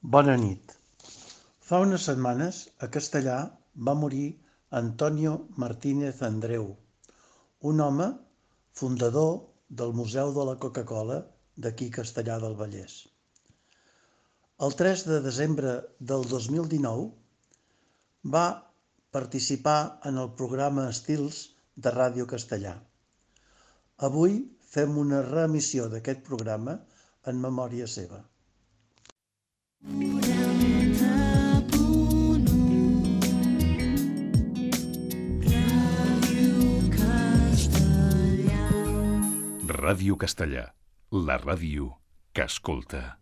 Bona nit. Fa unes setmanes, a Castellar, va morir Antonio Martínez Andreu, un home fundador del Museu de la Coca-Cola d'aquí Castellar del Vallès. El 3 de desembre del 2019 va participar en el programa Estils de Ràdio Castellar. Avui fem una reemissió d'aquest programa en memòria seva. Ràdio Castellar, la ràdio que escolta.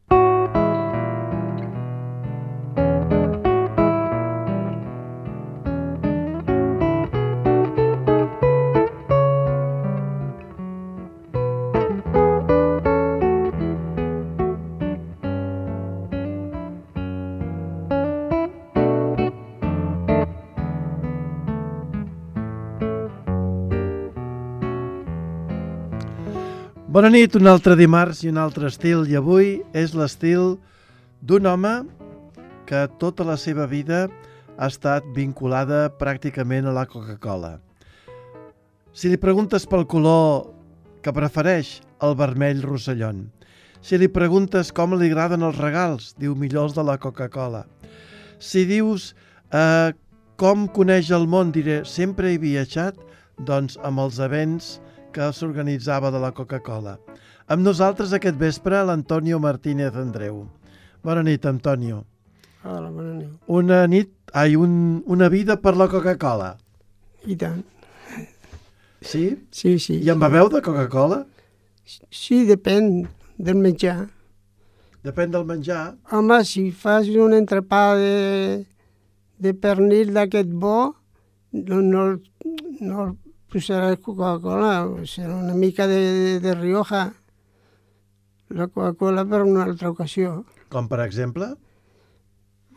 Bona nit, un altre dimarts i un altre estil, i avui és l'estil d'un home que tota la seva vida ha estat vinculada pràcticament a la Coca-Cola. Si li preguntes pel color que prefereix, el vermell rossellón. Si li preguntes com li agraden els regals, diu millor els de la Coca-Cola. Si dius com coneix el món, diré sempre he viatjat, doncs amb els events que s'organitzava de la Coca-Cola. Amb nosaltres aquest vespre l'Antonio Martínez Andreu. Bona nit, Antonio. Hola, bona nit. Una vida per la Coca-Cola. I tant. Sí? Sí, sí. I en beveu de Coca-Cola? Sí, depèn del menjar. Depèn del menjar. Home, si fas un entrepà de pernil d'aquest bo, no posaràs Coca-Cola, serà una mica de Rioja. La Coca-Cola per una altra ocasió. Com per exemple?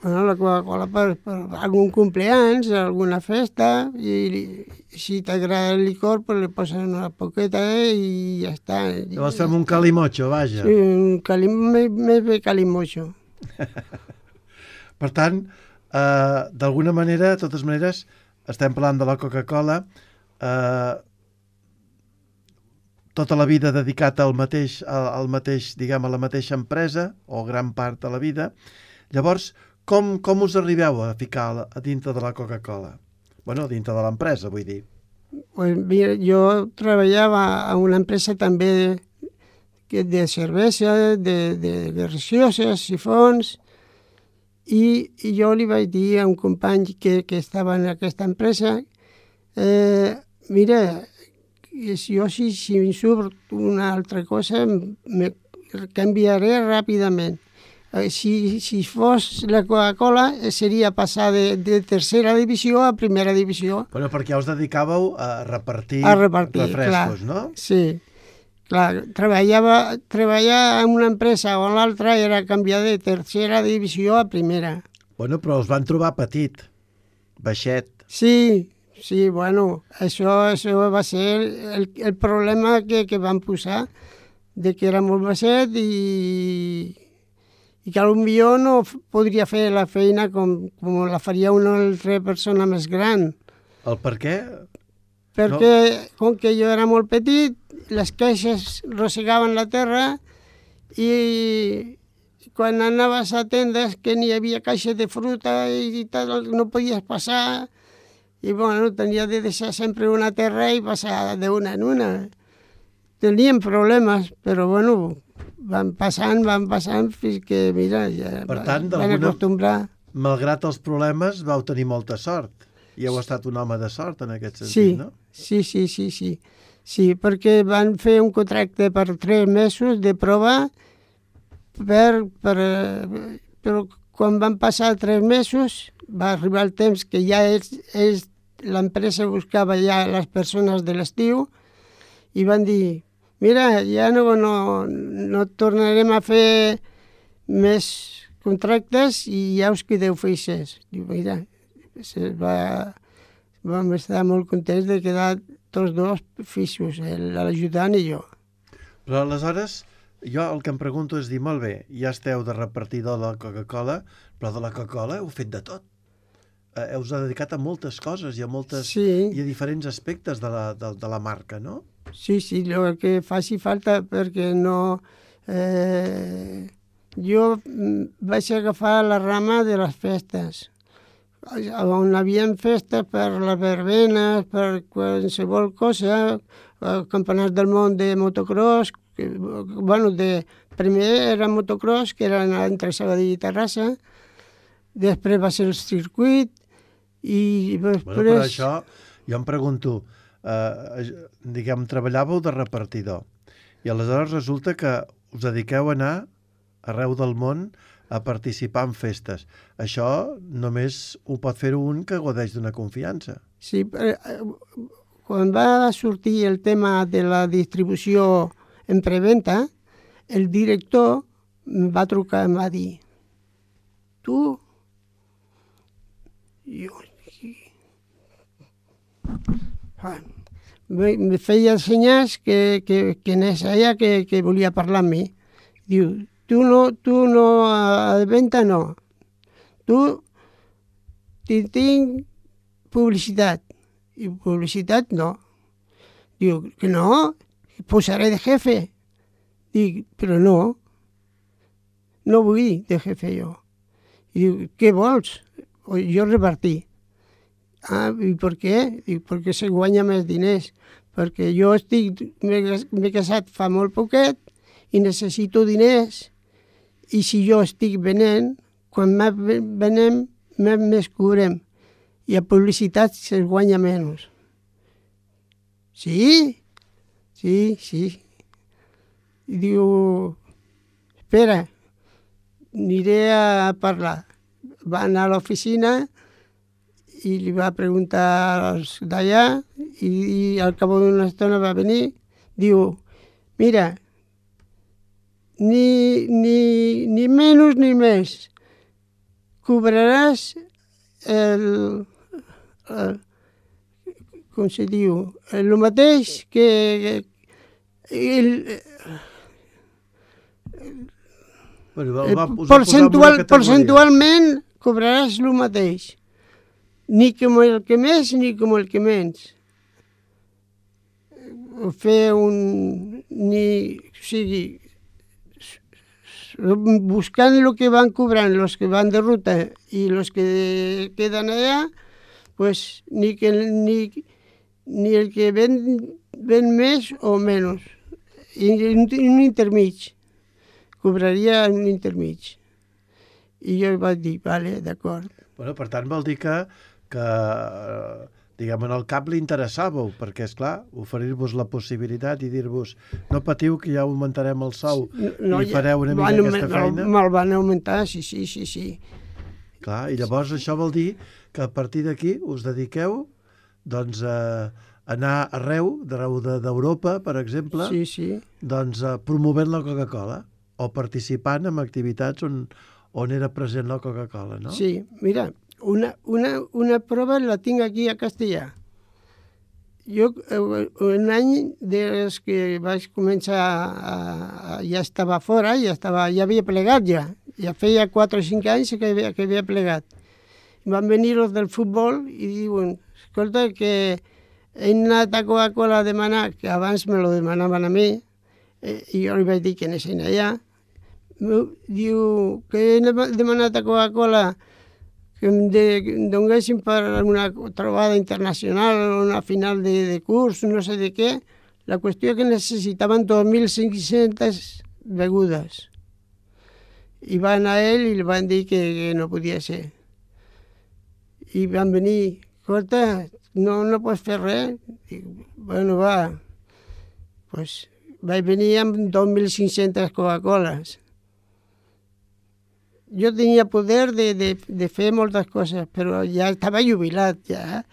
Bueno, la Coca-Cola per algun cumpleaños, alguna festa, i si t'agrada el licor, pues le poses una poqueta i ja està. Llavors fem un calimocho, vaja. Sí, més bé calimocho. Per tant, d'alguna manera, de totes maneres, estem parlant de la Coca-Cola, tota la vida dedicat al mateix, diguem, a la mateixa empresa, o gran part de la vida. Llavors, com us arribeu a ficar a dintre de la Coca-Cola? Bueno, dintre de l'empresa, vull dir. Pues mira, jo treballava a una empresa també de cervesa, de gaseoses, sifons, i jo li vaig dir a un company que estava en aquesta empresa, mira, jo si em surt una altra cosa, me canviaré ràpidament. Si fos la Coca-Cola, seria passar de tercera divisió a primera divisió. Bueno, perquè us dedicàveu a repartir refrescos, clar, no? Sí, clar. Treballar en una empresa o en l'altra era canviar de tercera divisió a primera. Bueno, però us van trobar petit, baixet. Sí, bueno, això va ser el problema que van posar, de que era molt baixet i que potser no podria fer la feina com la faria una altra persona més gran. El per què? Perquè com que jo era molt petit, les caixes rosegaven la terra i quan anaves a tendes que n'hi havia caixa de fruta i tal, no podies passar. I bueno, tenia de deixar sempre una terra i passar d'una en una. Teníem problemes, però bueno, van passant fins que, mira, ja per tant, van acostumbrar. Malgrat els problemes, vau tenir molta sort. I heu estat un home de sort en aquest sentit, no? Sí. Sí, perquè van fer un contracte per 3 mesos de prova, però quan van passar 3 mesos va arribar el temps que ja l'empresa buscava ja les persones de l'estiu i van dir, mira, ja no tornarem a fer més contractes i ja us quedeu feixes. Diu, mira, vam estar molt contents de quedar tots dos fixos, l'ajudant i jo. Però aleshores Jo el que em pregunto és dir, molt bé, ja esteu de repartidor de la Coca-Cola, però de la Coca-Cola heu fet de tot. Heu dedicat a moltes coses i a Sí, i a diferents aspectes de la marca, no? sí, el que faci falta perquè no... Jo vaig agafar la rama de les festes, on havia festes per les verbenes, per qualsevol cosa, campionats del món de motocross, primer era motocross, que era entre Sabadell i Terrassa, després va ser el circuit, i després... Bueno, per això jo em pregunto, diguem, treballàveu de repartidor, i aleshores resulta que us dediqueu a anar arreu del món a participar en festes. Això només ho pot fer un que godeix d'una confiança. Sí, quan va sortir el tema de la distribució en preventa, el director em va trucar i em va dir: tu, jo, me feia senyals que anés allà, que volia parlar amb mi. Diu, tu no, a venda no. Tu tinc publicitat. I publicitat no. Diu, que no, posaré de jefe. Dic, però no vull de jefe jo. I diu, què vols? Jo repartir. Ah, i per què? Dic, perquè se guanya més diners. Perquè jo m'he casat fa molt poquet i necessito diners. I si jo estic venent, quan venem, més cobrem. I a publicitat se guanya menys. Sí. I diu, espera, aniré a parlar. Va anar a l'oficina i li va preguntar als d'allà i al cap d'una estona va venir. Diu, mira, ni menys ni més. Cobraràs com se diu, el mateix que percentualment cobraràs el mateix. Ni com el que més ni com el que menys. Buscant el que van cobrant els que van de ruta i els que queden allà, pues, ni el que ven més o menys. I un intermig. Cobraria un intermig. I jo vaig dir, vale, d'acord. Bueno, per tant, vol dir que diguem, en el cap li interessàveu, perquè, esclar, oferir-vos la possibilitat i dir-vos, no patiu que ja augmentarem el sou i fareu una mica aquesta feina. Me'l van augmentar, sí. Clar, i llavors això vol dir que a partir d'aquí us dediqueu doncs, a anar arreu d'Europa, per exemple, doncs, promovent la Coca-Cola o participant en activitats on era present la Coca-Cola, no? Sí, mira, una prova la tinc aquí a Castellà. Jo, un any des que vaig començar, ja estava fora, ja havia plegat ja. Ja feia 4 o 5 anys que havia plegat. Van venir els del futbol i diuen, escolta, que he anat a Coca-Cola a demanar, que abans me lo demanaven a mi, i jo li vaig dir que anessin allà. Diu que he demanat a Coca-Cola que em donguessin per una trobada internacional o una final de curs, no sé de què. La qüestió que necessitaven 2.500 begudes. I va anar ell i li van dir que no podia ser. I van venir, escolta, no pots fer res? Dic, bueno, va. Pues vaig venir amb 2.500 Coca-Coles. Jo tenia poder de fer moltes coses, però ja estava jubilat, ja.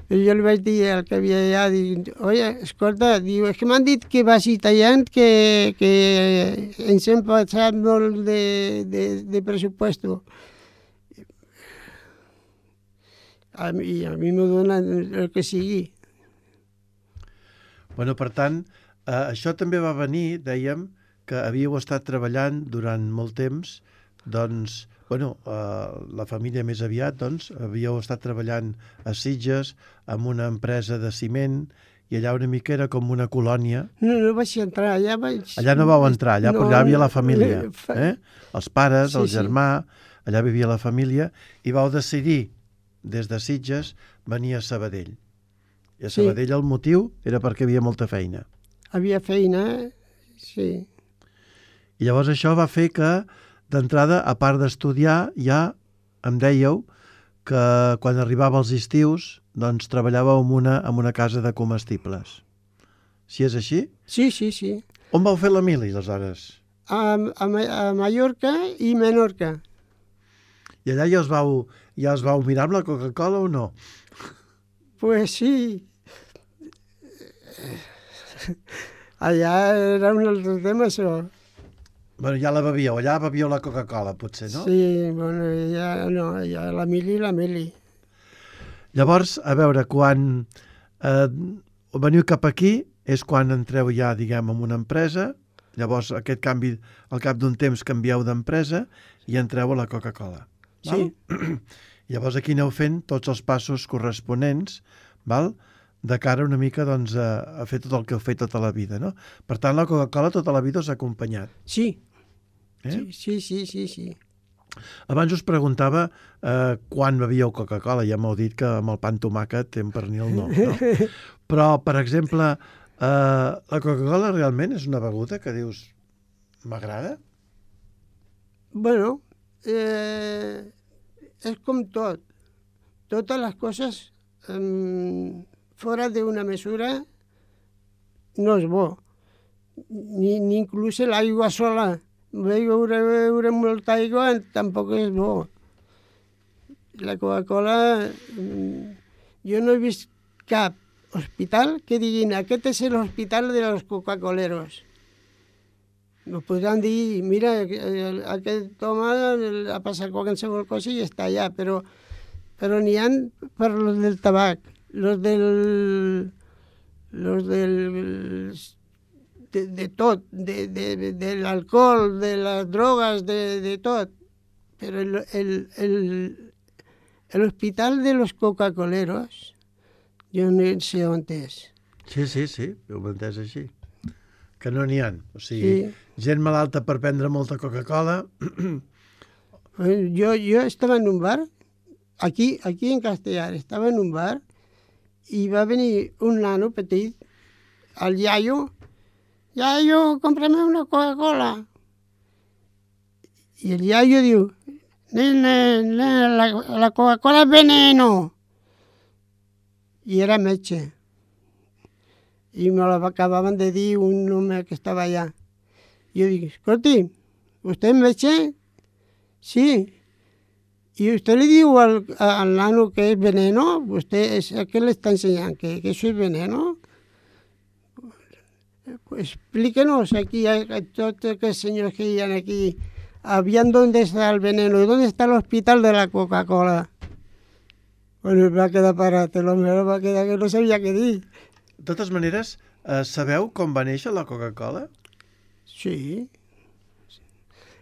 Però jo li vaig dir al que havia allà, dic, oye, escolta, diu, és que m'han dit que vagi tallant, que ens hem passat molt de pressuposto. I a mi m'ho donen el que sigui. Bueno, per tant, això també va venir, dèiem, que havíeu estat treballant durant molt temps, doncs, la família més aviat, doncs, havíeu estat treballant a Sitges amb una empresa de ciment i allà una mica era com una colònia. No vaig entrar, allà vaig... Allà no vau entrar, allà hi havia la família, els pares, el germà, allà vivia la família, i vau decidir, des de Sitges, venir a Sabadell. I a Sabadell el motiu era perquè hi havia molta feina. Havia feina, sí. I llavors això va fer que, d'entrada, a part d'estudiar, ja em dèieu que quan arribava els estius doncs treballàveu en una casa de comestibles. Si és així? Sí. On vau fer la mili, aleshores? A Mallorca i Menorca. I allà ja us vau mirar amb la Coca-Cola o no? Pues sí. Allà era un altre tema, això. Bueno, ja la bevíeu, allà bevíeu la Coca-Cola, potser, no? Sí, bueno, ja la mili. Llavors, a veure, quan veniu cap aquí és quan entreu ja, diguem, en una empresa, llavors aquest canvi, al cap d'un temps canvieu d'empresa i entreu a la Coca-Cola. Sí. Llavors aquí aneu fent tots els passos corresponents, val? De cara una mica doncs, a fer tot el que heu fet tota la vida, no? Per tant, la Coca-Cola tota la vida us ha acompanyat. Sí. Sí. Abans us preguntava quan bevíeu Coca-Cola, ja m'heu dit que amb el pa amb tomàquet en pernil no? Però, per exemple, la Coca-Cola realment és una beguda que dius m'agrada? Bueno, és com tot. Totes les coses fora d'una mesura no és bo. Ni inclús l'aigua sola. Beure molta aigua tampoc és bo. La Coca-Cola... Jo no he vist cap hospital que diguin aquest és l'hospital de los Coca-Coleros. No podran dir, mira, aquest home ha passat qualsevol cosa i està allà, però n'hi ha per los del tabac, los de tot, de l'alcohol, de les drogues, de tot. Però l'hospital de los Coca-Coleros, jo no sé on és. Sí, ho hem entès així. Que no n'hi ha. O sigui, gent malalta per prendre molta Coca-Cola. Jo estava en un bar, aquí en Castellar, estava en un bar i va venir un nano petit, el iaio, cómprame una Coca-Cola. I el iaio diu, la Coca-Cola és veneno. I era metge. I me l'acabaven de dir un home que estava allà. Jo dic, escolti, ¿usted es metge? Sí. ¿Y usted le diu al nano que es veneno? ¿A qué le está enseñando? ¿Que eso es veneno? Pues explíquenos aquí a todos aquellos señores que iban aquí, habían dónde está el veneno y dónde está el hospital de la Coca-Cola. Bueno, va quedar parat, l'home va quedar que no sabia què dir. De totes maneres, sabeu com va néixer la Coca-Cola? Sí,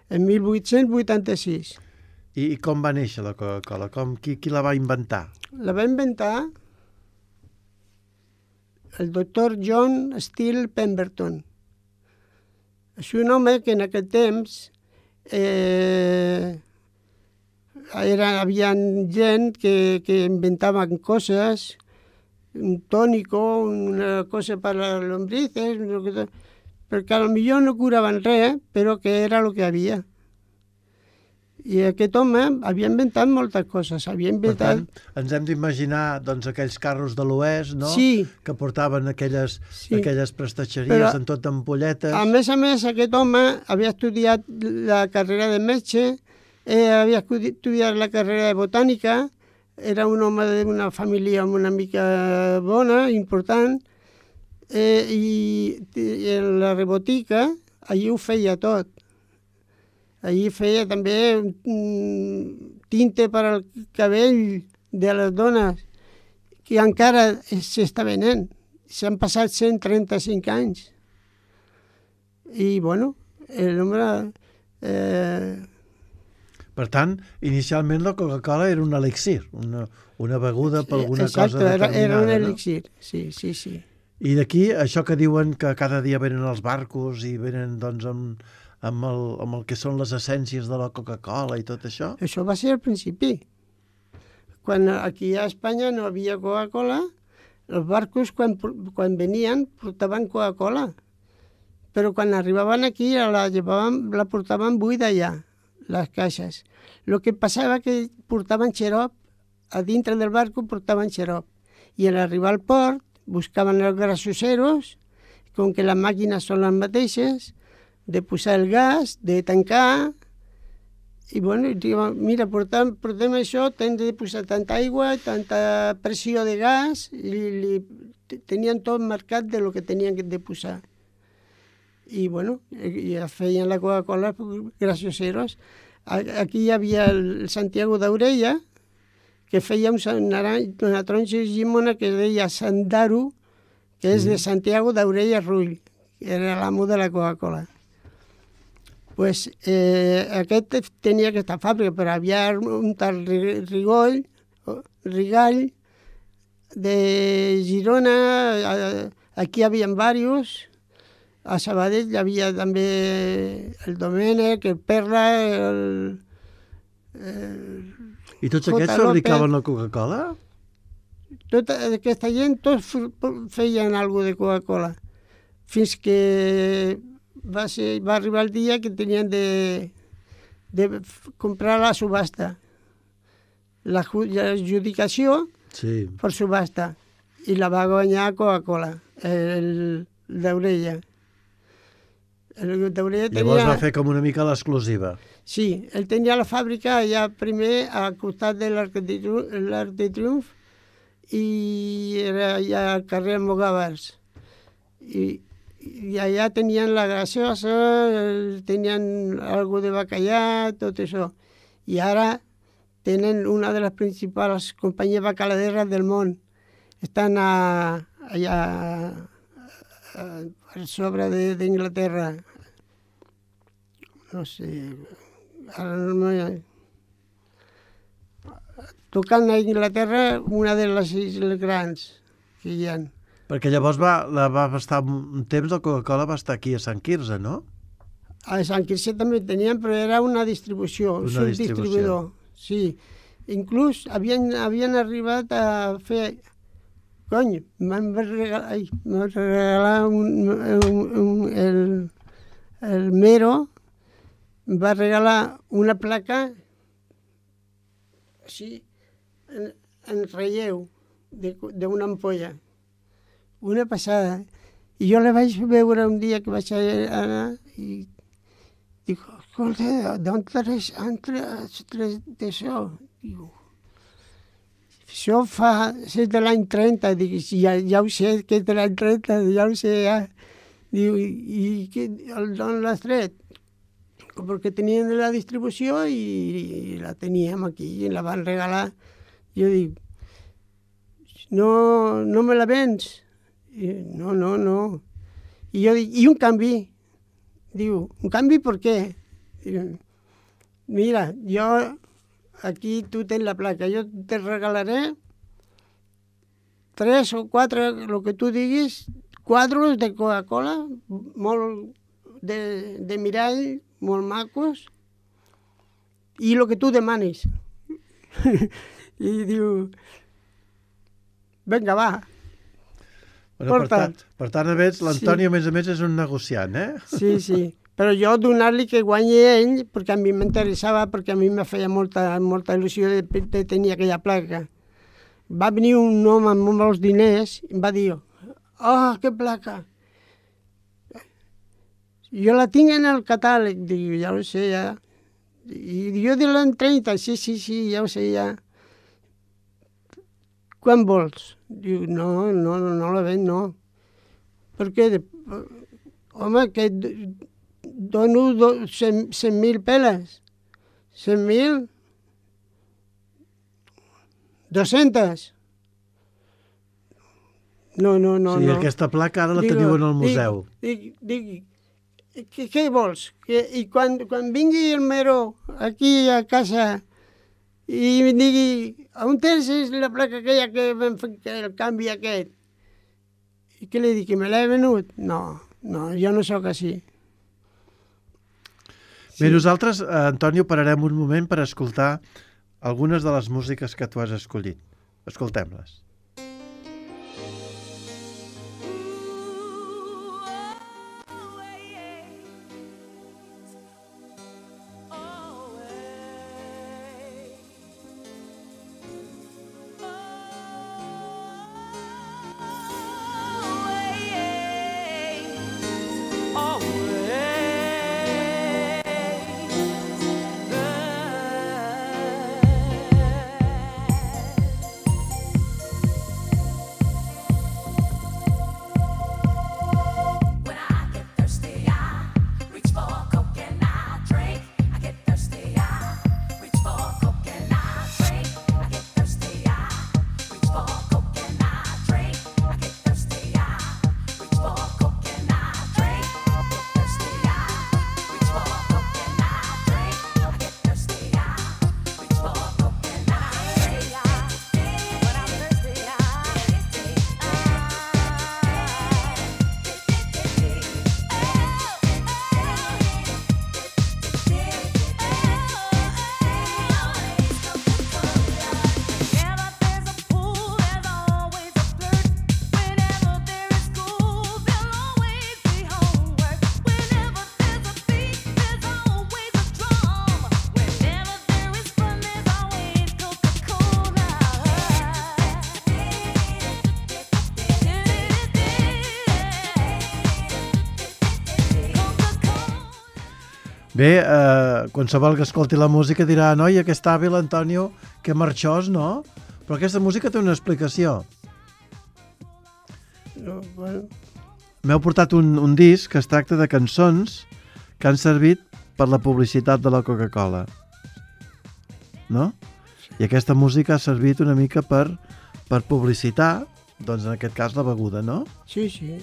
en 1886. I com va néixer la Coca-Cola? Qui la va inventar? La va inventar el doctor John Steele Pemberton. És un home que en aquest temps havia gent que inventaven coses, un tònico, una cosa per a les lombrices, perquè potser no curaven res, però que era el que havia. I aquest home havia inventat moltes coses. Per tant, ens hem d'imaginar doncs, aquells carros de l'oest, no? Sí. Que portaven aquelles prestatgeries però, amb tot ampolletes. A més, aquest home havia estudiat la carrera de metge, havia estudiat la carrera de botànica, era un home d'una família una mica bona, important, i en la rebotica allí ho feia tot. Allí feia també tinte per al cabell de les dones, que encara s'està venent. S'han passat 135 anys. I, bueno, el nombre... Per tant, inicialment la Coca-Cola era un elixir, una beguda per alguna exacte, cosa determinada. Era un no? elixir, sí. I d'aquí, això que diuen que cada dia venen els barcos i venen doncs, amb el que són les essències de la Coca-Cola i tot això? Això va ser al principi. Quan aquí a Espanya no havia Coca-Cola, els barcos quan venien portaven Coca-Cola. Però quan arribaven aquí la portaven buida ja, les caixes. El que passava que portaven xarop, a dintre del barco portaven xarop. I al arribar al port buscaven els grassoseros, com que les màquines són les mateixes, de posar el gas, de tancar, i bueno, diuen, mira, portem això, hem de posar tanta aigua, tanta pressió de gas, i tenien tot marcat de lo que tenien de posar. I bueno, ja feien la Coca-Cola grassoseros. Aquí hi havia el Santiago d'Aurella, que feia una taronja llimona que es deia Sandaru, que és de Santiago d'Aurella Rull, que era l'amo de la Coca-Cola. Pues, aquest tenia aquesta fàbrica, però havia un tal Rigall de Girona, aquí hi havia diversos, a Sabadell hi havia també el Domènec, el Perla, I tots aquests fabricaven la Coca-Cola? Tota aquesta gent, tots feien alguna de Coca-Cola, fins que va arribar el dia que tenien de comprar la subhasta, l'adjudicació per subhasta, i la va guanyar Coca-Cola, el d'Aurella. Llavors va fer com una mica l'exclusiva. Sí, ell tenia la fàbrica allà primer al costat de l'Arc de Triomf i era allà al carrer Mogàvers. I allà tenien la gasosa, tenien algo de bacallà, tot això. I ara tenen una de les principals companyies bacaladeres del món. Estan allà per sobre d'Inglaterra. No sé, ara no tocant a Inglaterra una de les illes grans que hi ha. Perquè llavors va estar un temps, la Coca-Cola va estar aquí a Sant Quirze, no? A Sant Quirze també tenien, però era una distribució, un subdistribuïdor. Sí, inclús havien arribat a fer... Cony, m'han regalat el Mero, va regalar una placa així, en relleu, d'una ampolla. Una passada. I jo la vaig veure un dia que vaig anar i dic, escolta, d'on has tret d'això? Diu, això és de l'any 30. Dic, ja ho sé, que és de l'any 30, ja ho sé, ja. Diu, i d'on l'has tret? Perquè tenien de la distribució i la teníem aquí i la van regalar. Jo dic, no me la vens? I, no. I jo dic, i un canvi? Diu, un canvi per què? Diu, mira, jo aquí tu tens la placa, jo te regalaré 3 o 4, el que tu diguis, quadros de Coca-Cola, molt de mirall, molt macos, i el que tu demanis. I diu, vinga, va. Bueno, per tant, a més, l'Antoni, a més, és un negociant, eh? Sí. Però jo donar-li que guanyi ell, perquè a mi m'interessava, perquè a mi me feia molta il·lusió de tenir aquella placa. Va venir un home amb molts diners i em va dir, que placa! Jo la tinc en el catàleg, dic, ja ho sé, ja. I jo de l'any 30, sí, ja ho sé, ja. Quan vols? Diu, no la ven, no. Perquè, home, que dono 100.000 peles. 100.000? 200? No. Sí, aquesta placa ara la teniu en el museu. Dic, què vols? I quan vingui el Mero aquí a casa i em digui, on tens la placa aquella que vam fer el canvi aquest? I què li dic, que me l'he venut? No, jo no sóc així. Bé, nosaltres, Antonio, pararem un moment per escoltar algunes de les músiques que tu has escollit. Escoltem-les. Bé, qualsevol que escolti la música dirà, noi, aquest hàbil, Antonio, que marxós, no? Però aquesta música té una explicació. Bueno. M'heu portat un disc que es tracta de cançons que han servit per la publicitat de la Coca-Cola. No? I aquesta música ha servit una mica per publicitar, doncs en aquest cas la beguda, no? Sí, sí.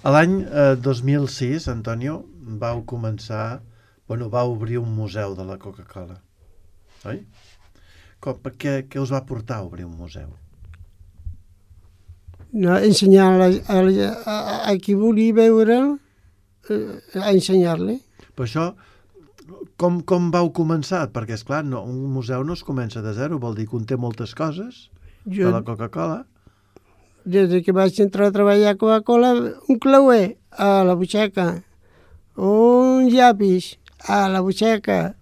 A l'any 2006, Antonio, vau obrir un museu de la Coca-Cola, oi? Què us va portar a obrir un museu? No, ensenyar a qui volia veure'l, a ensenyar-li. Però això, com vau començar? Perquè, esclar, un museu no es comença de zero, vol dir que conté moltes coses de la Coca-Cola. Des que vaig entrar a treballar a Coca-Cola, un clauer a la butxaca, un llapis a la butxaca,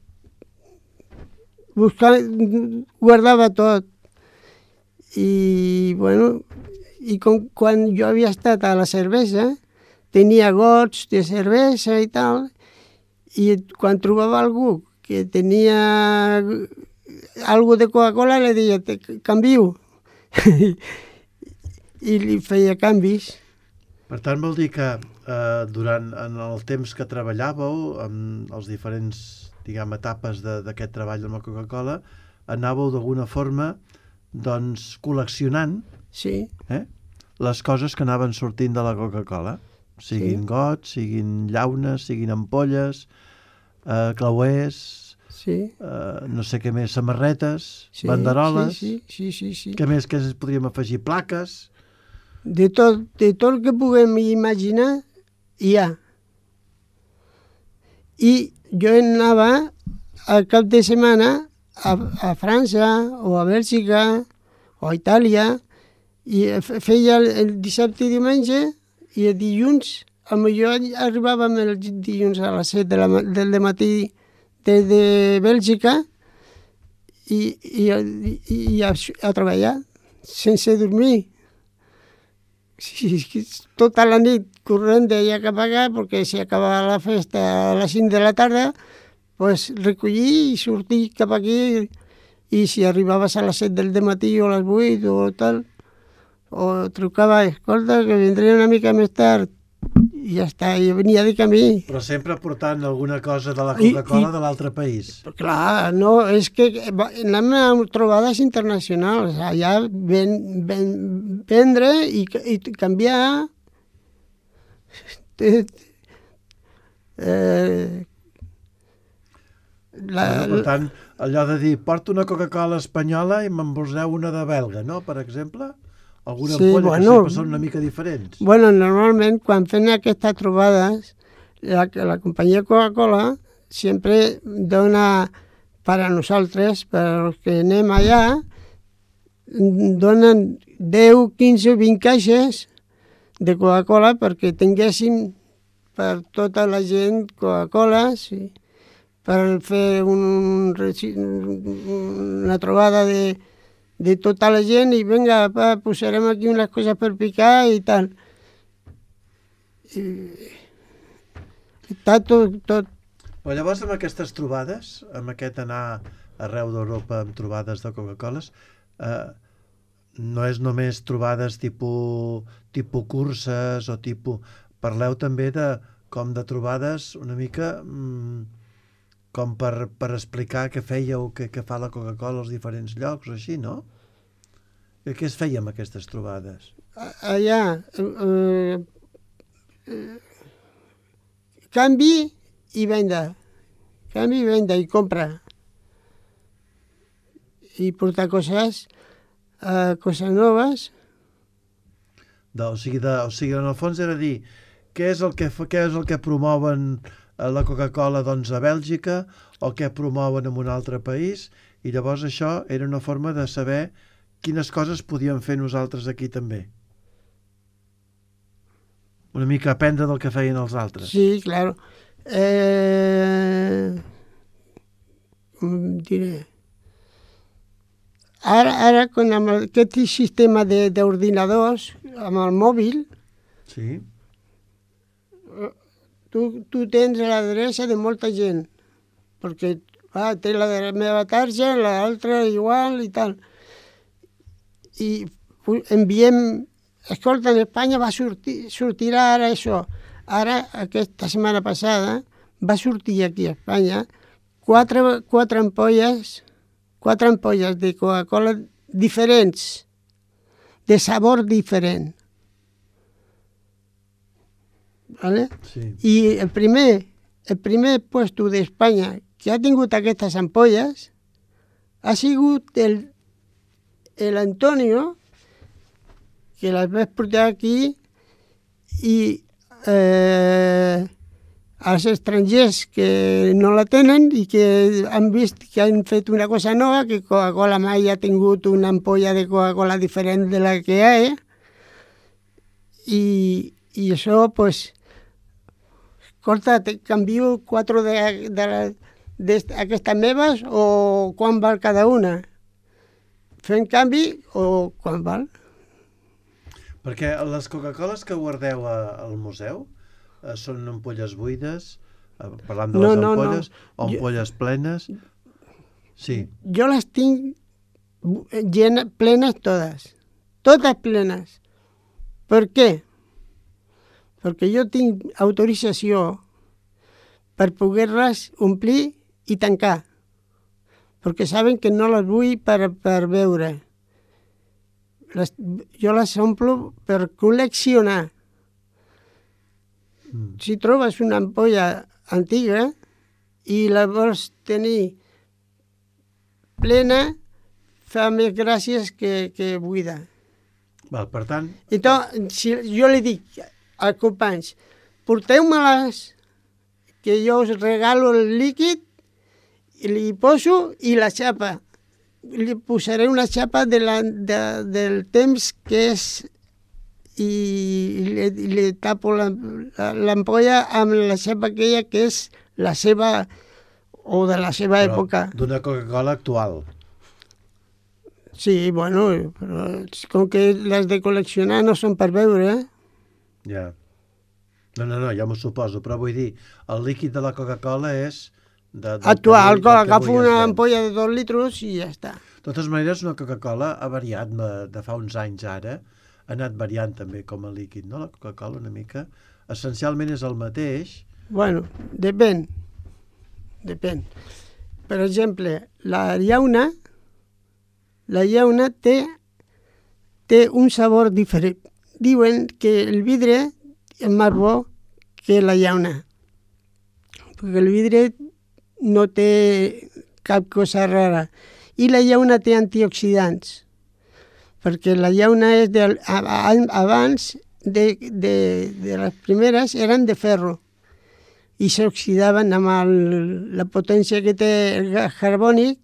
guardava tot. I, bueno, quan jo havia estat a la cervesa, tenia gots de cervesa i tal, i quan trobava algú que tenia algo de Coca-Cola, li deia, canvio. I li feia canvis. Per tant, vol dir que durant el temps que treballàveu, en els diferents, etapes d'aquest treball amb la Coca-Cola, anàveu d'alguna forma, doncs, col·leccionant les coses que anaven sortint de la Coca-Cola. Siguin gots, siguin llaunes, siguin ampolles, clauers, no sé què més, samarretes, banderoles. Sí. Què més que podríem afegir? Plaques. De tot el que puguem imaginar, hi ha. I jo anava al cap de setmana a França o a Bèlgica o a Itàlia i feia el dissabte i diumenge i el dilluns, potser arribàvem el dilluns a les 7 del matí des de Bèlgica i a treballar sense dormir. Sí, tota la nit corrent d'allà cap allà, perquè si acabava la festa a les 5 de la tarda, pues, recollir i sortir cap aquí, i si arribaves a les 7 del matí o a les 8 o tal, o trucava, escolta, que vindré una mica més tard, i ja està, i venia de camí. Però sempre portant alguna cosa de la Coca-Cola de l'altre país. Clar, no, és que anem a trobades internacionals, allà vendre i canviar Per tant, allò de dir, porto una Coca-Cola espanyola i me'n poseu una de belga, no?, per exemple? Alguna ampolla que sempre són una mica diferents. Bueno, normalment, quan fem aquestes trobades, la companyia Coca-Cola sempre dona per a nosaltres, per als que anem allà, donen 10, 15 o 20 caixes de Coca-Cola perquè tinguéssim per tota la gent Coca-Cola, sí, per fer una trobada de tota la gent i vinga, posarem aquí unes coses per picar i tal. I està tot. Però llavors amb aquestes trobades, amb aquest anar arreu d'Europa amb trobades de Coca-Coles, no és només trobades tipus curses o tipus... Parleu també com de trobades una mica com per explicar què fèieu, què fa la Coca-Cola als diferents llocs o així, no? I què es feia amb aquestes trobades? Allà, canvi i venda. Canvi i venda i compra. I portar coses noves. O sigui, en el fons era dir què és el que promouen la Coca-Cola doncs, a Bèlgica o què promouen en un altre país, i llavors això era una forma de saber quines coses podíem fer nosaltres aquí també. Una mica aprendre del que feien els altres. Sí, claro. Com diré? Ara amb aquest sistema d'ordinadors, amb el mòbil, sí, tu tens l'adreça de molta gent, perquè té la meva tarja, l'altra igual i tal. I enviem, escolta, en Espanya sortirà ara això. Ara, aquesta setmana passada, va sortir aquí a Espanya quatre ampolles de Coca-Cola diferents, de sabor diferent. ¿Vale? Sí. I el primer puesto d'Espanya que ha tingut aquestes ampolles ha sigut el Antonio, que les vaig portar aquí, i els estrangers que no la tenen i que han vist que han fet una cosa nova, que Coca-Cola mai ha tingut una ampolla de Coca-Cola diferent de la que hi ha, i això, pues, escolta, te canvio 4 d'aquestes meves o quan val cada una? Fem canvi o quan val? Perquè les Coca-Coles que guardeu al museu són ampolles buides, parlant de les ampolles, o ampolles plenes? Sí. Jo les tinc plenes totes plenes. Per què? Perquè jo tinc autorització per poder-les omplir i tancar, perquè saben que no les vull per beure. Jo les omplo per col·leccionar. Si trobes una ampolla antiga i la vols tenir plena, fa més gràcies que buida. Val, per tant... Si jo li dic als companys, porteu-me-les, que jo us regalo el líquid, i li poso i la xapa. Li posaré una xapa del temps que és i li tapo l'ampolla amb la xapa aquella que és la seva o de la seva època. D'una Coca-Cola actual. Sí, bueno, però com que les de col·leccionar no són per beure, Ja. No, ja m'ho suposo, però vull dir, el líquid de la Coca-Cola és actual. Agafo una ampolla de 2 litres i ja està. De totes maneres, una Coca-Cola ha variat de fa uns anys ara, ha anat variant també com a líquid, no? La Coca-Cola una mica, essencialment és el mateix. Bueno, depèn. Per exemple, la llauna té un sabor diferent. Diuen que el vidre és més bo que la llauna, perquè el vidre no té cap cosa rara. I la llauna té antioxidants, perquè la llauna és abans de les primeres eren de ferro i s'oxidaven amb la potència que té el gas carbònic.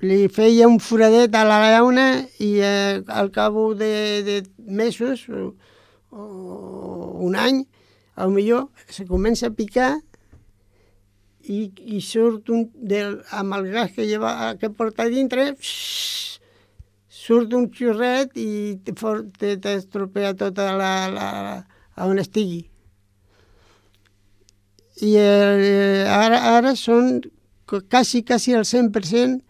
Li feia un foradet a la llauna i al cap de mesos o un any, potser se comença a picar i surt amb el gas que porta dintre, surt un xurret i t'estropea tota on estigui. I ara són quasi el 100%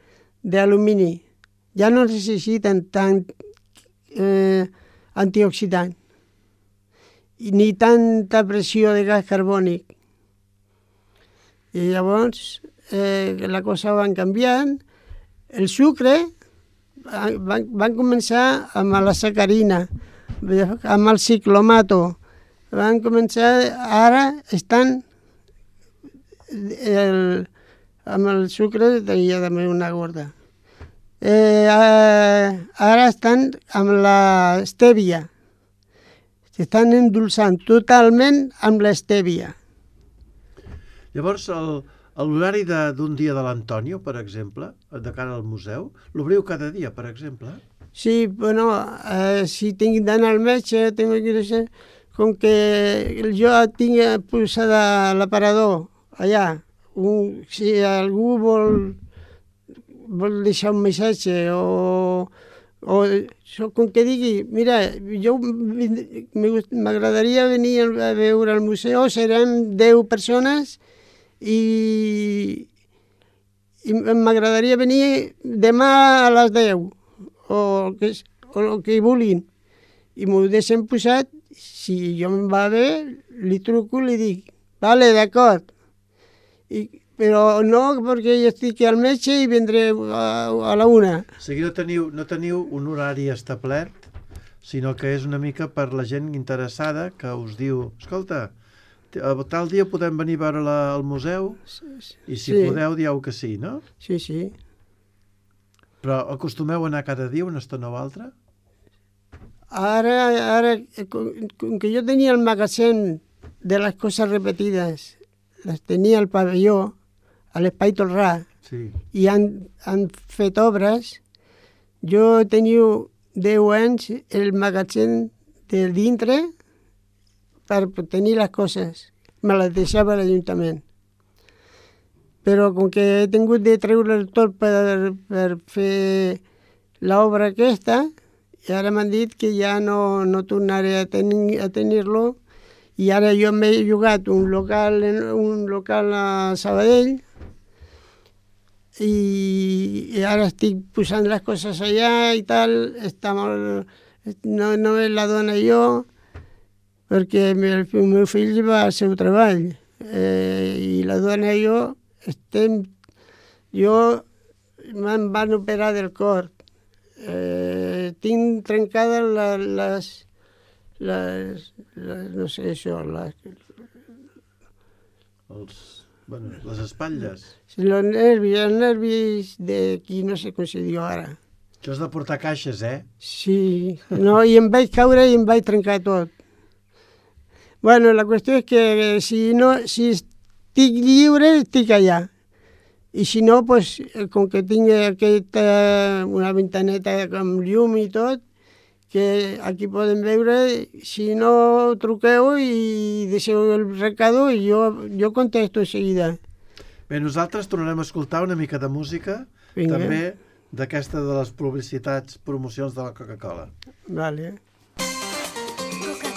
d'alumini. Ja no necessiten tant antioxidant ni tanta pressió de gas carbònic. I llavors la cosa va canviant. El sucre van començar amb la sacarina, amb el ciclomato. Van començar, ara estan amb el sucre, tenia també una gorda. Ara estan amb l'estèvia. S'estan endolçant totalment amb l'estèvia. Llavors, l'horari d'un dia de l'Antonio, per exemple, de cara al museu, l'obriu cada dia, per exemple? Sí, bueno, si tinc d'anar al metge, com que jo tinc posada l'aparador allà, si algú vol deixar un missatge o com que digui, mira, jo m'agradaria venir a veure al museu, serem 10 persones i m'agradaria venir demà a les 10 o el que vulguin i m'ho deixen posat. Si jo em va bé, li truco i li dic, vale, d'acord, però no perquè jo estic al metge i vendré a la 1. O sigui, no teniu un horari establert, sinó que és una mica per la gent interessada que us diu, escolta, tal dia podem venir a veure al museu i si podeu dieu que sí, no? Sí, sí. Però acostumeu a anar cada dia una estona o altra? Ara, com que jo tenia el magatzem de les coses repetides, les tenia al pavelló, a l'Espai Tolrà, i han fet obres, jo tenia 10 anys el magatzem de dintre per tenir les coses. Me les deixava l'Ajuntament. Però com que he tingut de treure tot per fer l'obra aquesta, i ara m'han dit que ja no tornaré a tenir-lo, i ara jo m'he llogat un local a Sabadell i ara estic posant les coses allà i tal, no me la dona jo, perquè el meu fill va al seu treball i la dona i jo me'n van operar del cor. Tinc trencades no sé això, les espatlles. Els nervis d'aquí, no sé com se diu ara. Això és de portar caixes, Sí, no, i em vaig caure i em vaig trencar tot. Bueno, la qüestió és que si estic lliure, estic allà. I si no, pues, com que tinc una ventaneta amb llum i tot, que aquí poden veure, si no, truqueu i deixeu el recado i jo contesto de seguida. Bé, nosaltres tornarem a escoltar una mica de música, també d'aquesta de les publicitats, promocions de la Coca-Cola. Vale. Coca-Cola.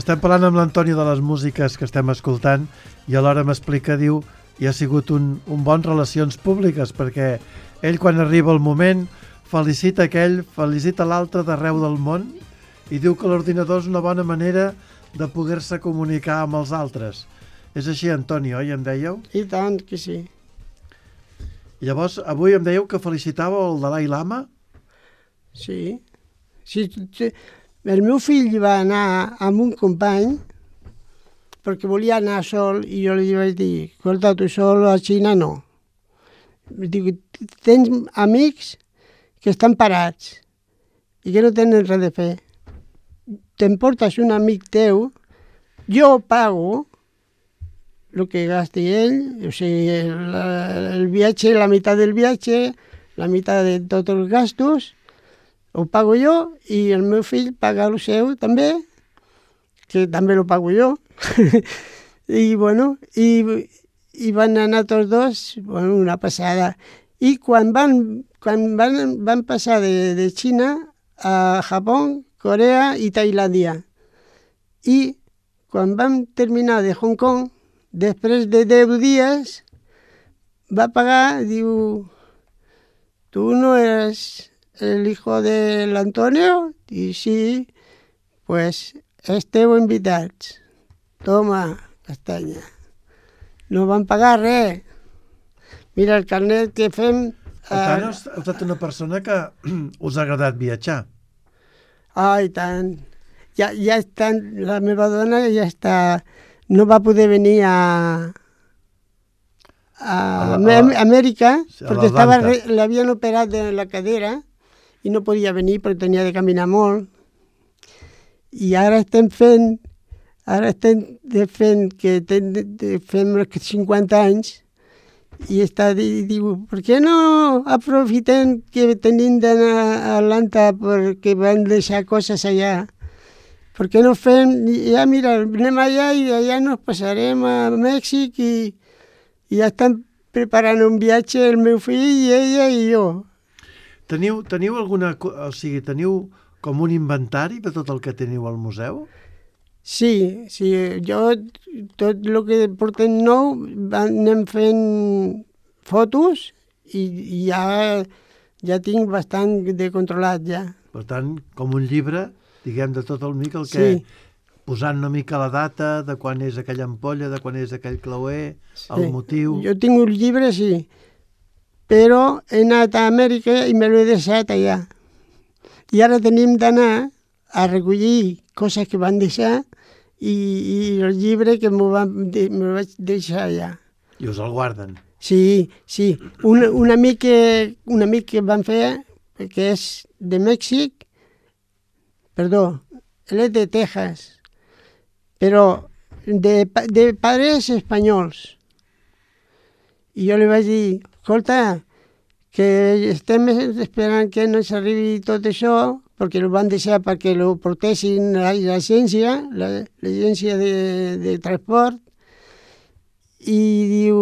estem parlant amb l'Antoni de les músiques que estem escoltant i alhora m'explica, diu, i ha sigut un bon relacions públiques, perquè ell quan arriba el moment felicita aquell, felicita l'altre d'arreu del món i diu que l'ordinador és una bona manera de poder-se comunicar amb els altres. És així, Antoni, oi, em dèieu? I tant que sí. I llavors, avui em dèieu que felicitàveu el Dalai Lama? Sí. El meu fill va anar amb un company perquè volia anar sol i jo li vaig dir, escolta, tu sol a Xina no. Dic, tens amics que estan parats i que no tenen res de fer. T'emportes un amic teu, jo pago el que gasti ell, o sigui, el viatge, la meitat del viatge, la meitat de tots els gastos, ho pago jo i el meu fill paga el seu també, que també lo pago jo. I bueno, i van anar tots dos, bueno, una passada. I quan van passar de Xina a Japó, Corea i Tailàndia. I quan vam terminar de Hong Kong, després de 10 dies, va pagar, diu, tu no eres el hijo del Antonio? I sí, pues esteu invitats. Toma, castanya. No van pagar res. Mira, el carnet que fem... Per tant, heu estat una persona que us ha agradat viatjar. I tant. Ja estan, la meva dona ja està... No va poder venir a Amèrica perquè l'havien operat de la cadera i no podia venir perquè tenia de caminar molt. I ara estem fent que fem 50 anys i diu, per què no aprofitem que tenim d'anar a Atlanta perquè van deixar coses allà? Per què no fem, ja mira, anem allà i allà nos passarem a Mèxic i ja estan preparant un viatge el meu fill i ella i jo. Teniu alguna, o sigui, teniu com un inventari de tot el que teniu al museu? Sí, jo tot el que portem nou anem fent fotos i ja tinc bastant de controlat ja. Per tant, com un llibre, diguem, de tot el mica, el que... Sí. Posant una mica la data, de quan és aquella ampolla, de quan és aquell clauer, sí. El motiu... Jo tinc un llibre, sí, però he anat a Amèrica i me l'he deixat allà. I ara tenim d'anar a recollir coses que van deixar i el llibre que me vaig deixar allà. I us el guarden? Sí. Un amic que van fer, que és de Mèxic, perdó, él es de Texas, però de pares espanyols. I jo li vaig dir, escolta, que estem esperant que no s'arribi tot això, perquè el van deixar perquè lo portessin l'agència de transport, i diu,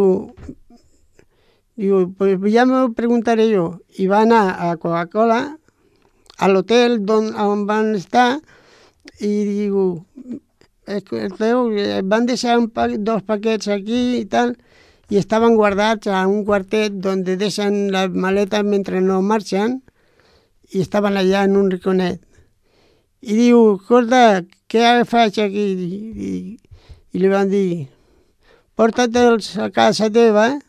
pues ja m'ho preguntaré jo. I va anar a Coca-Cola, a l'hotel on van estar, i diu, van deixar dos paquets aquí i tal, i estaven guardats a un quartet on deixen les maletes mentre no marxen, i estaven allà en un riconet. I diu, escolta, què faig aquí? I li van dir, porta-te'ls a casa teva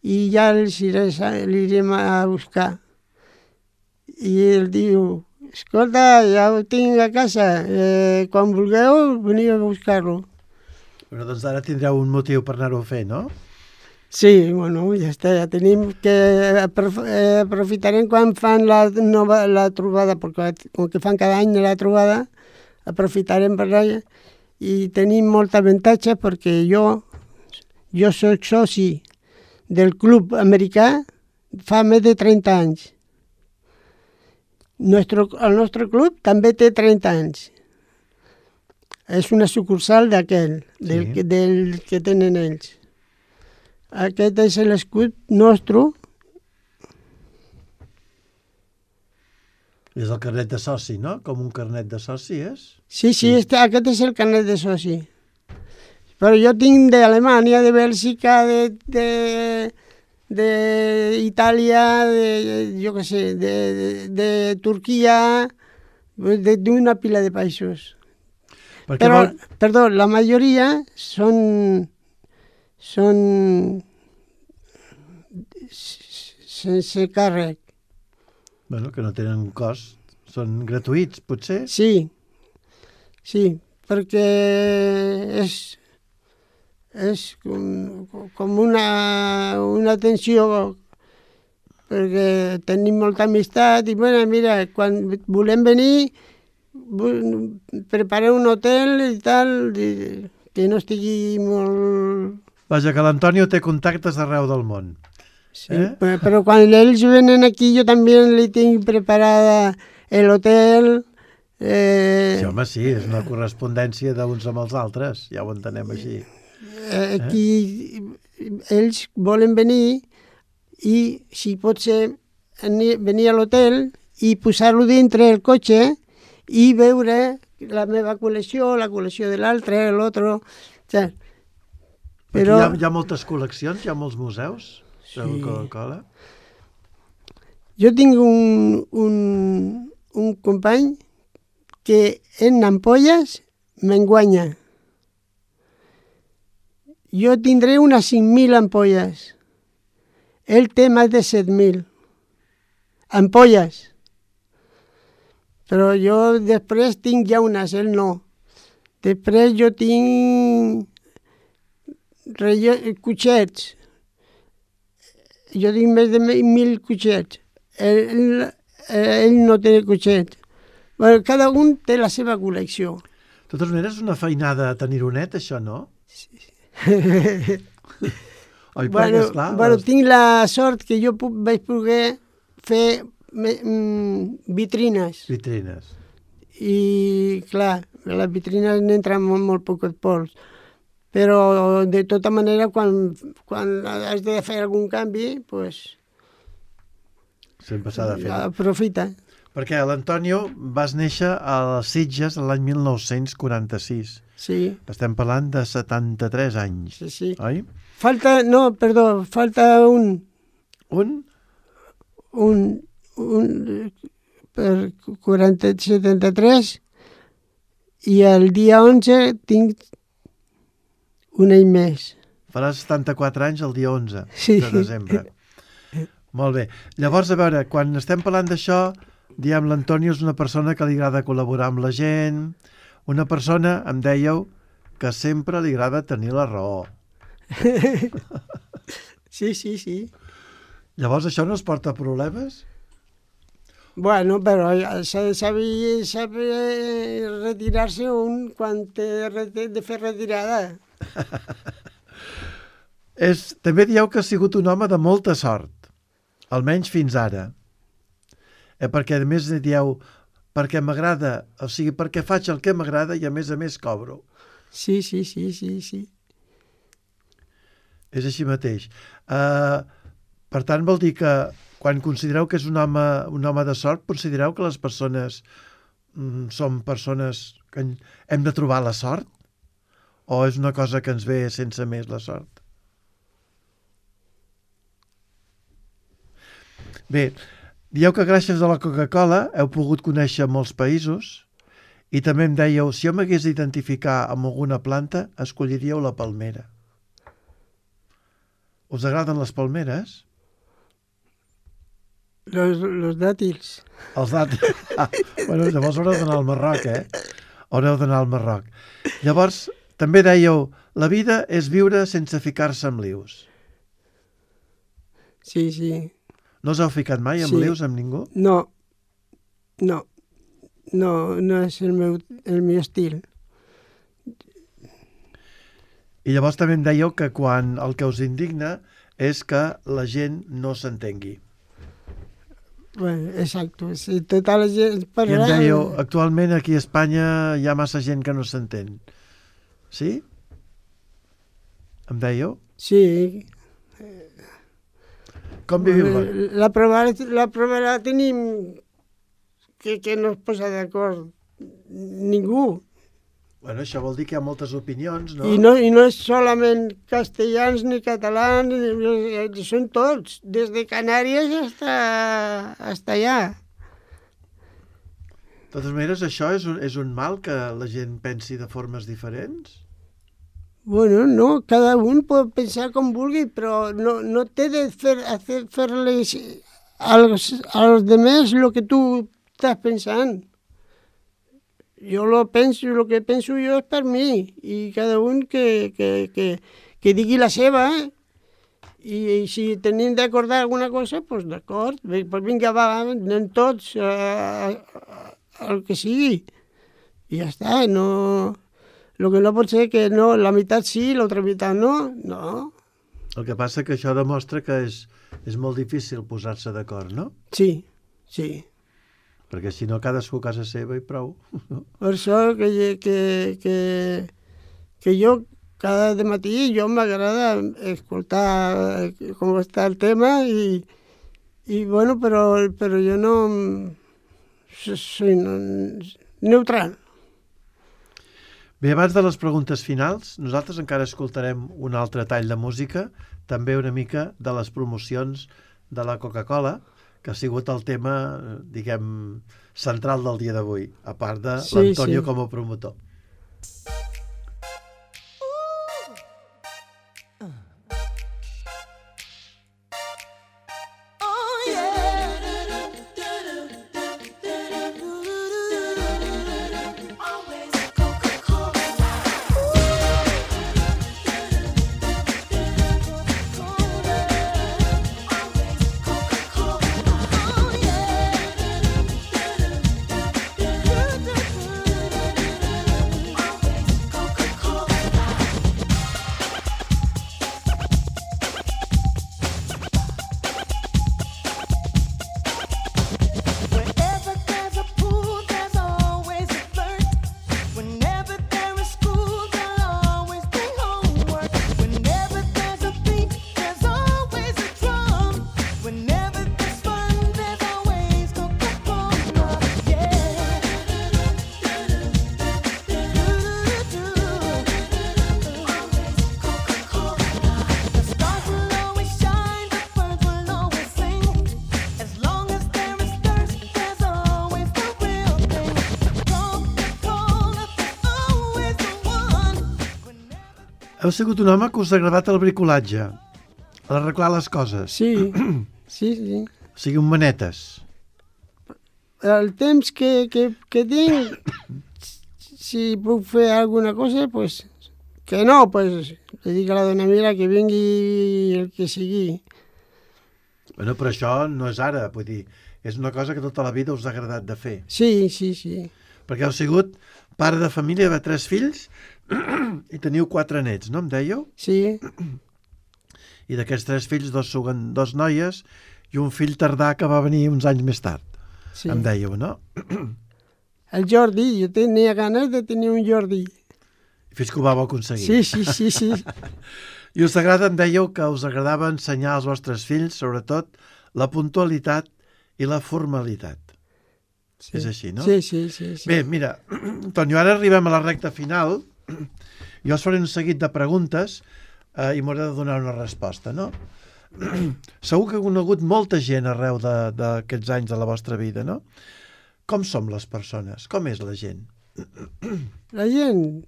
i ja els anirem a buscar. I ell diu, escolta, ja ho tinc a casa, quan vulgueu veniu a buscar-lo. Bueno, doncs ara tindreu un motiu per anar-ho a fer, no? Sí, bueno, ja està, ja tenim que aprofitarem quan fan la trobada, perquè com que fan cada any la trobada, aprofitarem per allà i tenim molt avantatge perquè jo soc soci del club americà fa més de 30 anys. El nostre club també té 30 anys. És una sucursal d'aquell, del que tenen ells. Aquest és l'escut nostre. És el carnet de soci, no? Com un carnet de soci, és? Sí, aquest és el carnet de soci. Però jo tinc d'Alemanya, de Bèlgica, d'Itàlia, jo què sé, de Turquia, d'una pila de països. Però, perdó, la majoria són sense càrrec. Bueno, que no tenen cost. Són gratuïts, potser? Sí, perquè és com una atenció, perquè tenim molta amistat i, bueno, mira, quan volem venir, preparem un hotel i tal, que no estigui molt... Vaja, que l'Antonio té contactes arreu del món. Sí, però quan ells venen aquí jo també li tinc preparada l'hotel. Sí, home, sí, és una correspondència d'uns amb els altres, ja ho entenem així. Aquí ells volen venir i, si pot ser, venir a l'hotel i posar-lo dintre el cotxe i veure la meva col·lecció, la col·lecció de l'altre, l'altre. Però hi ha moltes col·leccions, hi ha molts museus de Coca-Cola. Jo tinc un company que en ampolles m'enguanya. Jo tindré unes 5.000 ampolles. Ell té més de 7.000 ampolles. Però jo després tinc llaunes, ell no. Després jo tinc cuixets. Jo tinc més de 1.000 cuixets. Ell no té cuixets. Bueno, cada un té la seva col·lecció. De totes maneres, és una feinada tenir-ho net, això, no? Sí. Bueno, tinc la sort que jo vaig poder fer vitrines. Vitrines. I, clar, les vitrines n'entren molt poc pols. Però, de tota manera, quan has de fer algun canvi, doncs... Sempre s'ha de fer. Aprofita. Perquè l'Antonio vas néixer a les Sitges l'any 1946. Sí. Estem parlant de 73 anys, sí. Oi? Falta un... Un? Un per 73 i el dia 11 tinc un any més. Faràs 74 anys el dia 11 de desembre. Molt bé. Llavors, a veure, quan estem parlant d'això, diem, l'Antonio és una persona que li agrada col·laborar amb la gent, una persona, em dèieu, que sempre li agrada tenir la raó. Sí. Llavors això no es porta a problemes? Bueno, però s'ha de saber retirar-se un quan té de fer retirada. També dieu que ha sigut un home de molta sort, almenys fins ara. Perquè a més dieu, perquè m'agrada, o sigui, perquè faig el que m'agrada i a més cobro. Sí. És així mateix. Per tant, vol dir que quan considereu que és un home de sort, considereu que les persones són persones que hem de trobar la sort? O és una cosa que ens ve sense més la sort? Bé, dieu que gràcies a la Coca-Cola heu pogut conèixer molts països i també em dèieu, si jo m'hagués d'identificar amb alguna planta, escolliríeu la palmera. Us agraden les palmeres? Los dàtils. Els dàtils. Bueno, llavors haureu d'anar al Marroc, Haureu d'anar al Marroc. Llavors, també dèieu, la vida és viure sense ficar-se en lius. Sí. No us heu ficat mai en lius amb ningú? No és el meu estil. I llavors també em dèieu que quan el que us indigna és que la gent no s'entengui. Bueno, exacte. Si tota la gent I em dèieu, actualment aquí a Espanya hi ha massa gent que no s'entén. Sí? Em dèieu? Sí. Com viviu? La prova la tenim que no es posa d'acord ningú. Bueno, això vol dir que hi ha moltes opinions, no? I no és solament castellans ni catalans, són tots, des de Canàries hasta allà. De totes maneres, això és un mal que la gent pensi de formes diferents? Bueno, no, cada un pot pensar com vulgui, però no té de fer-les als demés el que tu estàs pensant. Jo el que penso jo és per mi, i cada un que digui la seva, i si tenim d'acordar alguna cosa, doncs d'acord, doncs vinga, va, anem tots al que sigui, i ja està, no... El que no pot ser que no, la meitat sí, l'altra meitat no, no. El que passa que això demostra que és molt difícil posar-se d'acord, no? Sí, sí. Perquè si no, cadascú a casa seva i prou. Per això que jo cada matí jo m'agrada escoltar com està el tema i bueno, però jo no soy neutral. Bé, abans de les preguntes finals, nosaltres encara escoltarem un altre tall de música, també una mica de les promocions de la Coca-Cola, que ha sigut el tema, diguem, central del dia d'avui, a part de l'Antonio com a promotor. Heu sigut un home que us ha agradat el bricolatge, l'arreglar les coses. Sí, sí, sí. O sigui, un manetes. El temps que tinc, si puc fer alguna cosa, pues, que no, pues, le dic a la dona mira que vingui el que sigui. Bueno, però això no és ara, vull dir, és una cosa que tota la vida us ha agradat de fer. Sí, sí, sí. Perquè heu sigut pare de família de 3 fills i teniu 4 nets, no em dèieu? Sí. I d'aquests 3 fills, 2 noies i un fill tardà que va venir uns anys més tard, Sí. em dèieu, no? El Jordi, jo tenia ganes de tenir un Jordi. Fins que ho vau aconseguir. Sí, sí, sí, sí. I us agrada, em dèieu, que us agradava ensenyar als vostres fills, sobretot, la puntualitat i la formalitat. Sí. És així, no? Sí, sí, sí, sí. Bé, mira, Antonio, ara arribem a la recta final. Jo us faré un seguit de preguntes i m'hauré de donar una resposta, no? Segur que heu conegut molta gent arreu d'aquests anys de la vostra vida, no? Com som les persones? Com és la gent? La gent,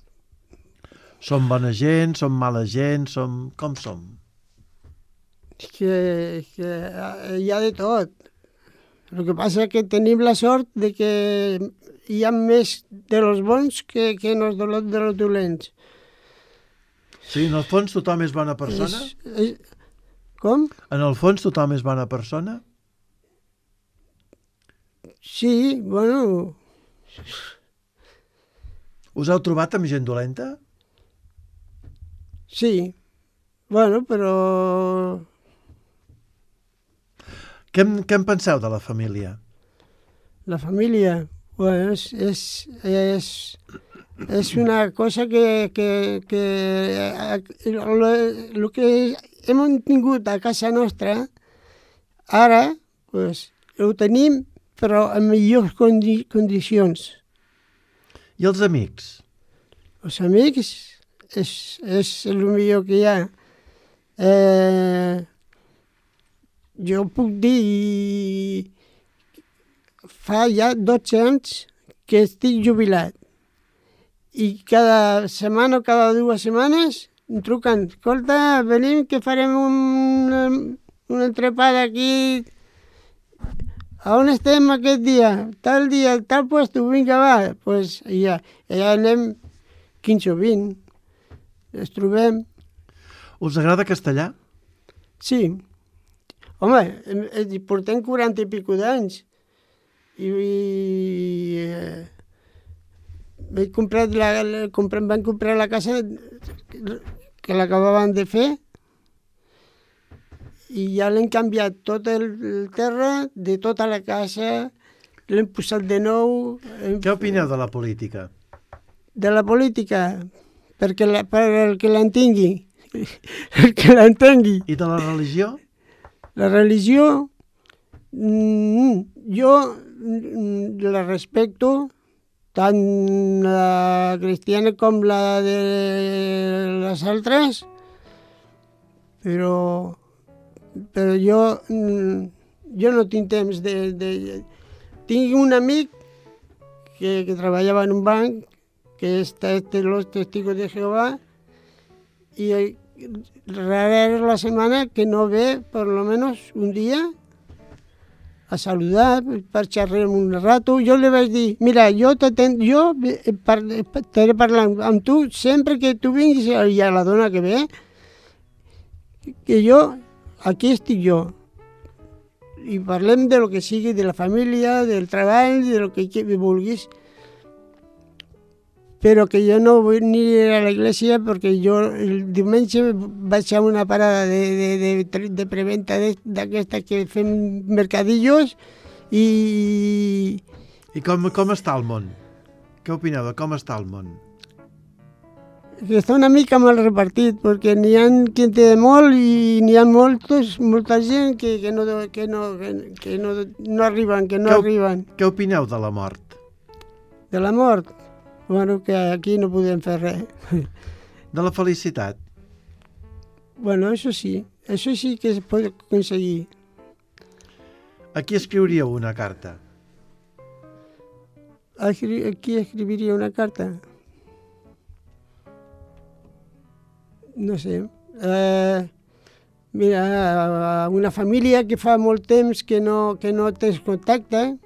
Som bona gent? Som mala gent? Com som? que hi ha de tot. El que passa és que tenim la sort de que hi ha més de los bons que no de los dolents. Sí, en el fons tothom és bona persona? Com? En el fons tothom és bona persona? Sí, bueno, Us heu trobat amb gent dolenta? sí. Bueno, però Què en penseu de la família? la família, bueno, és una cosa que el que hem tingut a casa nostra, ara, pues, ho tenim però en millors condicions. I els amics? Els amics és el millor que hi ha. Jo puc dir, fa ja 12 anys que estic jubilat i cada setmana o cada 2 setmanes em truquen, escolta, venim que farem un entrepà aquí. A on estem aquest dia? Tal puesto, vinga, va. Pues ja anem 15 o 20. Es trobem. Us agrada castellà? Sí. Home, portem 40 i pico d'anys. Vam comprar la casa que l'acabaven de fer i ja l'hem canviat tot el terra de tota la casa, l'hem posat de nou. Què opineu de la política? De la política, per el que l'entengui. El que l'entengui. I de la religió? La religió, jo la respecto, tant la cristiana com la de les altres, però jo no tinc temps Tinc un amic que treballava en un banc, que és los testigos de Jehová, i rara es la setmana que no ve, per lo menos un dia, a saludar, per xerrar un rato. Jo li vaig dir, mira, jo estaré parlant amb tu sempre que tu vinguis, i a la dona que ve, que aquí estic jo. I parlem de lo que sigui, de la família, del treball, de lo que vulguis. Però que jo no vull ni ir a l'església perquè jo el diumenge vaig a una parada de preventa d'aquesta que fem mercadillos i... I com està el món? Què opineu de com està el món? Que està una mica mal repartit, perquè n'hi ha qui en té molt i n'hi ha molta gent que no arriben, arriben. Què opineu de la mort? De la mort? Bueno, que aquí no podem fer res. De la felicitat? Bueno, això sí que es pot aconseguir. A qui escriuríeu una carta? A qui escribiria una carta? No sé. Mira, a una família que fa molt temps que no tens contacte.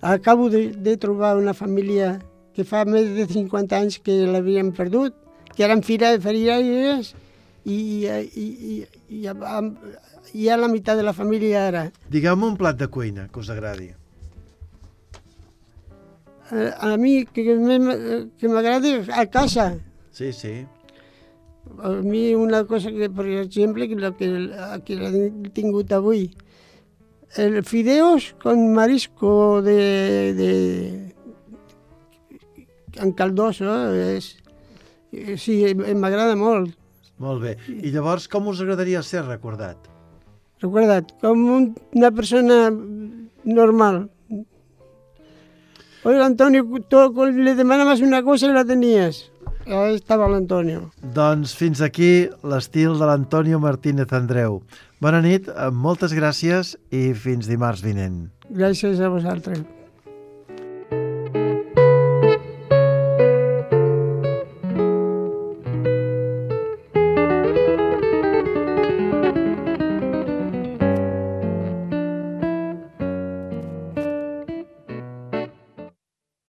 Acabo de trobar una família que fa més de 50 anys que l'havien perdut, que eren feriaires i ja la meitat de la família ara. Digueu-me un plat de cuina que us agradi. A mi que m'agrada a casa. Sí, sí. A mi una cosa que, per exemple, que l'he tingut avui, el fideos con marisco en caldoso, sí, m'agrada molt. Molt bé. I llavors, com us agradaria ser recordat? Recordat, com una persona normal. Oye, Antonio, le demanaves una cosa i la tenies. Ahí estava l'Antonio. Doncs fins aquí l'estil de l'Antonio Martínez Andreu. Bona nit, moltes gràcies i fins dimarts vinent. Gràcies a vosaltres.